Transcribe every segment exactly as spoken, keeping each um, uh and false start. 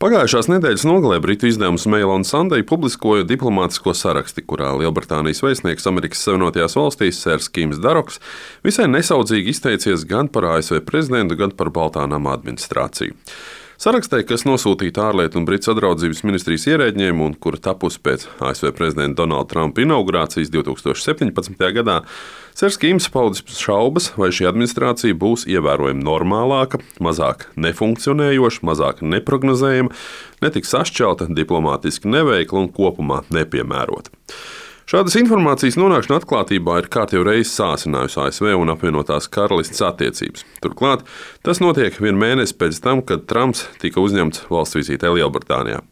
Pagājušās nedēļas nogalē britu izdevums Mail on Sunday publiskoja diplomātisko saraksti, kurā Lielbritānijas vēstnieks Amerikas Savienotajās valstīs Sērs Kims Daroks visai nesaudzīgi izteicies gan par A S V prezidentu, gan par Baltā nama administrāciju. Sarakstē, kas nosūtīta ārlietu un Britu sadraudzības ministrijas ierēdņiem un kura tapusi pēc A S V prezidenta Donalda Trumpa inaugurācijas divs tūkstoši septiņpadsmitajā gadā, Sērs Kims paudis šaubas, vai šī administrācija būs ievērojami normālāka, mazāk nefunkcionējoša, mazāk neprognozējama, netiks sašķelta, diplomātiski neveikla un kopumā nepiemērota. Šādas informācijas nonākšana atklātībā ir kārtējo reizi sāsinājusi A S V un apvienotās karalistes attiecības. Turklāt tas notiek vienu mēnesi pēc tam, kad Trumps tika uzņemts valsts vizītē Lielbritānijā.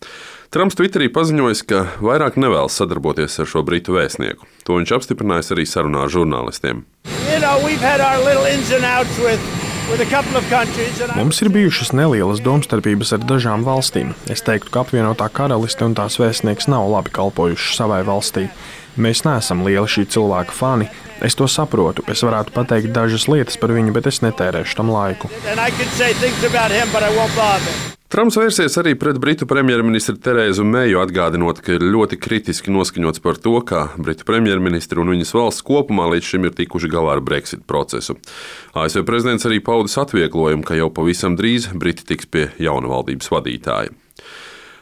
Trumps Twitterī paziņojis, ka vairāk nevēlas sadarboties ar šo britu vēstnieku. To viņš apstiprinājis arī sarunā ar žurnālistiem. You know, Mums ir bijušas nelielas domstarpības ar dažām valstīm. Es teiktu, ka apvienotā karaliste un tās vēstnieks nav labi kalpojuši savai valstī. Mēs neesam lieli šī cilvēka fani. Es to saprotu. Es varētu pateikt dažas lietas par viņu, bet es netērēšu tam laiku. Trumps vērsies arī pret britu premjerministru Terēzu Meju, atgādinot, ka ir ļoti kritiski noskaņots par to, kā britu premjerministri un viņas valsts kopumā līdz šim ir tikuši galā ar Brexit procesu. A S V prezidents arī paudis atvieglojumu, ka jau pavisam drīz briti tiks pie jauna valdības vadītāja.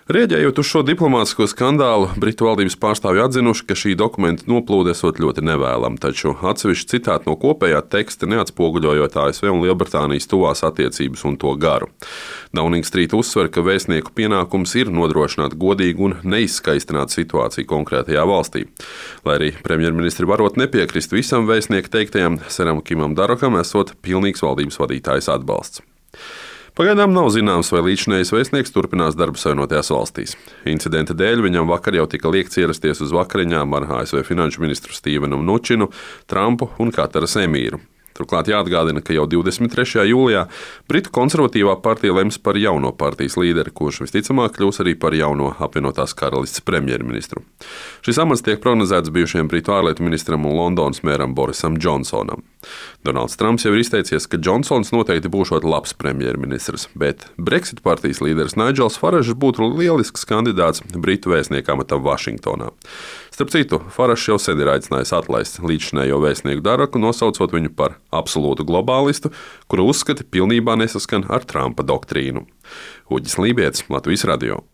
Rēģējot uz šo diplomātisko skandālu, britu valdības pārstāvji atzinuši, ka šī dokumenta noplūde esot ļoti nevēlama, taču atsevišķi citāti no kopējā teksta neatspoguļojot A S V un Lielbritānijas tuvās attiecības un to garu. Downing Street uzsver, ka vēstnieku pienākums ir nodrošināt godīgu un neizskaistināt situāciju konkrētajā valstī. Lai arī premjerministri varot nepiekrist visam vēstnieku teiktajam, Seram Kimam Darokam esot pilnīgs valdības vadītājas atbalsts. Pagaidām nav zināms, vai līdzinējais vēstnieks turpinās darbu Savienotajās valstīs. Incidenta dēļ viņam vakar jau tika liekts ierasties uz vakariņām ar A S V finanšu ministru Stevenu Mnučinu, Trumpu un Kataras emīru. Turklāt jāatgādina, ka jau divdesmit trešajā jūlijā Britu konservatīvā partija lems par jauno partijas līderi, kurš visticamāk kļūs arī par jauno apvienotās karalistes premjerministru. Šis amats tiek prognozēts bijušajam Britu ārlietu ministram un Londonas mēram Borisam Džonsonam. Donalds Trumps jau ir izteicies, ka Džonsons noteikti būšot labs premjerministrs, bet Brexit partijas līderis Nigels Faražs būtu lielisks kandidāts Britu vēstnieka amatam Vašingtonā. Starp citu, Faražs jau sen ir aicinājis atlaist līdzinējo vēstnieku Daroku, nosaucot viņu par absolūtu globālistu, kura uzskati pilnībā nesaskan ar Trumpa doktrīnu. Uģis Lībietis, Latvijas radio.